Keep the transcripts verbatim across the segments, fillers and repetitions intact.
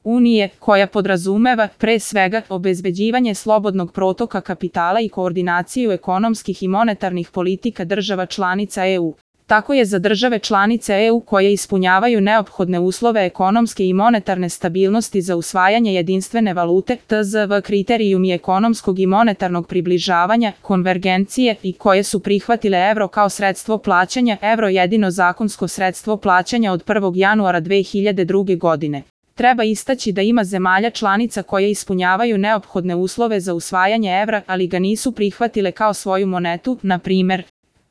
unije, koja podrazumeva, pre svega, obezbeđivanje slobodnog protoka kapitala i koordinaciju ekonomskih i monetarnih politika država članica E U. Tako je za države članice E U koje ispunjavaju neophodne uslove ekonomske i monetarne stabilnosti za usvajanje jedinstvene valute, T Z V kriterijumi ekonomskog i monetarnog približavanja, konvergencije i koje su prihvatile evro kao sredstvo plaćanja, evro jedino zakonsko sredstvo plaćanja od prvog januara dve hiljade druge. godine. Treba istaći da ima zemalja članica koje ispunjavaju neophodne uslove za usvajanje evra, ali ga nisu prihvatile kao svoju monetu, na primer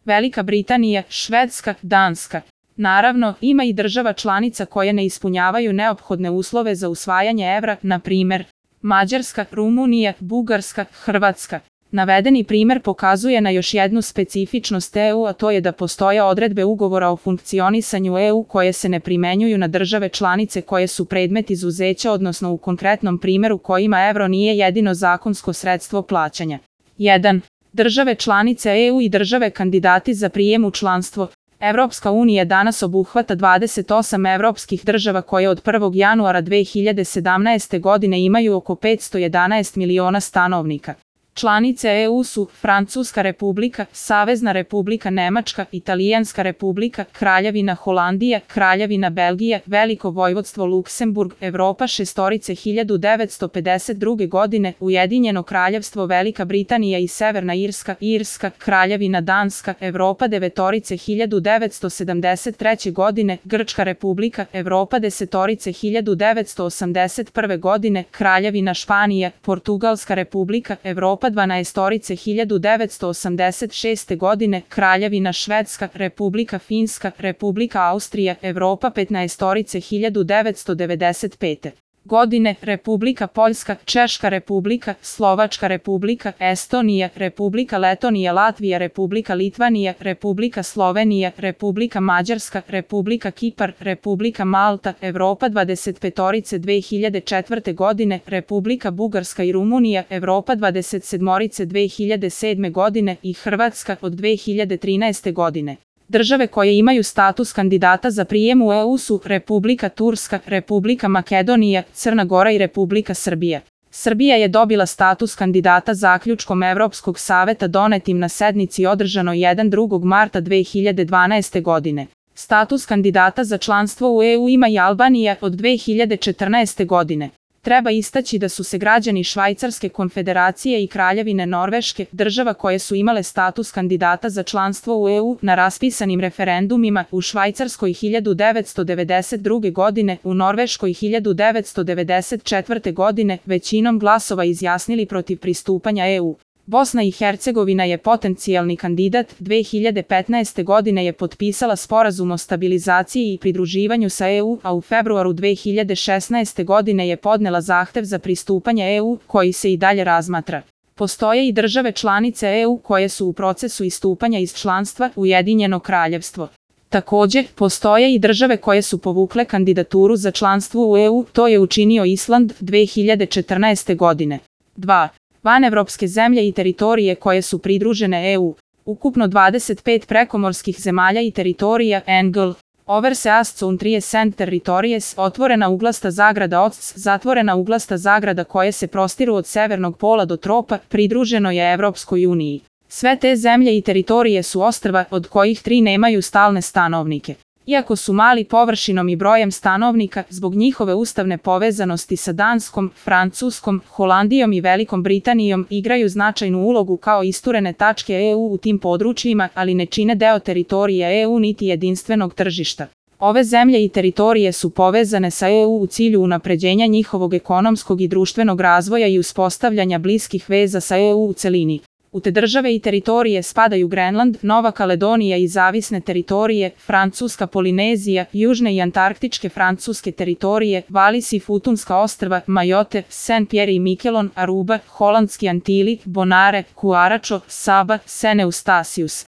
Velika Britanija, Švedska, Danska. Naravno, ima i država članica koje ne ispunjavaju neophodne uslove za usvajanje evra, na primer Mađarska, Rumunija, Bugarska, Hrvatska. Navedeni primer pokazuje na još jednu specifičnost E U, a to je da postoje odredbe ugovora o funkcionisanju E U koje se ne primenjuju na države članice koje su predmet izuzeća, odnosno u konkretnom primeru kojima evro nije jedino zakonsko sredstvo plaćanja. jedan. Države članice E U i države kandidati za prijem u članstvo. Evropska unija danas obuhvata dvadeset osam evropskih država koje od prvog januara dve hiljade sedamnaeste. godine imaju oko petsto jedanaest miliona stanovnika. Članice E U su Francuska republika, Savezna republika Nemačka, Italijanska republika, Kraljevina Holandija, Kraljevina Belgija, Veliko vojvodstvo Luksemburg, Evropa šestorice hiljadu devetsto pedeset druge. godine, Ujedinjeno kraljevstvo Velika Britanija i Severna Irska, Irska, Kraljevina Danska, Evropa devetorice hiljadu devetsto sedamdeset treće. godine, Grčka republika, Evropa desetorice hiljadu devetsto osamdeset prve. godine, Kraljevina Španija, Portugalska republika, Evropa dvanaestorice hiljadu devetsto osamdeset šeste. godine, Kraljevina Švedska, Republika Finska, Republika Austrija, Evropa petnaestorice hiljadu devetsto devedeset pete. godine, Republika Poljska, Češka republika, Slovačka republika, Estonija, Republika Letonija, Latvija, Republika Litvanija, Republika Slovenija, Republika Mađarska, Republika Kipar, Republika Malta, Evropa dvadeset petorice dve hiljade četvrte. godine, Republika Bugarska i Rumunija, Evropa dvadeset sedmorice dve hiljade sedme. godine i Hrvatska od dve hiljade trinaeste. godine. Države koje imaju status kandidata za prijem u E U su Republika Turska, Republika Makedonija, Crna Gora i Republika Srbija. Srbija je dobila status kandidata zaključkom Evropskog saveta donetim na sednici održanoj drugog marta dve hiljade dvanaeste. godine. Status kandidata za članstvo u E U ima i Albanija od dve hiljade četrnaeste. godine. Treba istaći da su se građani Švajcarske konfederacije i Kraljevine Norveške, država koje su imale status kandidata za članstvo u E U, na raspisanim referendumima u Švajcarskoj hiljadu devetsto devedeset druge. godine, u Norveškoj hiljadu devetsto devedeset četvrte. godine, većinom glasova izjasnili protiv pristupanja E U. Bosna i Hercegovina je potencijalni kandidat, dve hiljade petnaeste. godine je potpisala sporazum o stabilizaciji i pridruživanju sa E U, a u februaru dve hiljade šesnaeste. godine je podnela zahtev za pristupanje E U, koji se i dalje razmatra. Postoje i države članice E U koje su u procesu istupanja iz članstva, Ujedinjeno kraljevstvo. Također, postoje i države koje su povukle kandidaturu za članstvo u E U, to je učinio Island dve hiljade četrnaeste. godine. dva. Vanevropske zemlje i teritorije koje su pridružene E U. Ukupno dvadeset pet prekomorskih zemalja i teritorija N G L. Overseas Countries Territories, otvorena uglasta zagrada O C S, zatvorena uglasta zagrada koje se prostiru od severnog pola do tropa, pridruženo je Evropskoj uniji. Sve te zemlje i teritorije su ostrva, od kojih tri nemaju stalne stanovnike. Iako su mali površinom i brojem stanovnika, zbog njihove ustavne povezanosti sa Danskom, Francuskom, Holandijom i Velikom Britanijom, igraju značajnu ulogu kao isturene tačke E U u tim područjima, ali ne čine deo teritorije E U niti jedinstvenog tržišta. Ove zemlje i teritorije su povezane sa E U u cilju unapređenja njihovog ekonomskog i društvenog razvoja i uspostavljanja bliskih veza sa E U u celini. U te države i teritorije spadaju Grenland, Nova Kaledonija i zavisne teritorije, Francuska Polinezija, južne i antarktičke francuske teritorije, Valis i Futunska ostrva, Majotte, Saint-Pierre i Miquelon, Aruba, Holandski Antili, Bonare, Kuaračo, Saba, Saint Eustatius.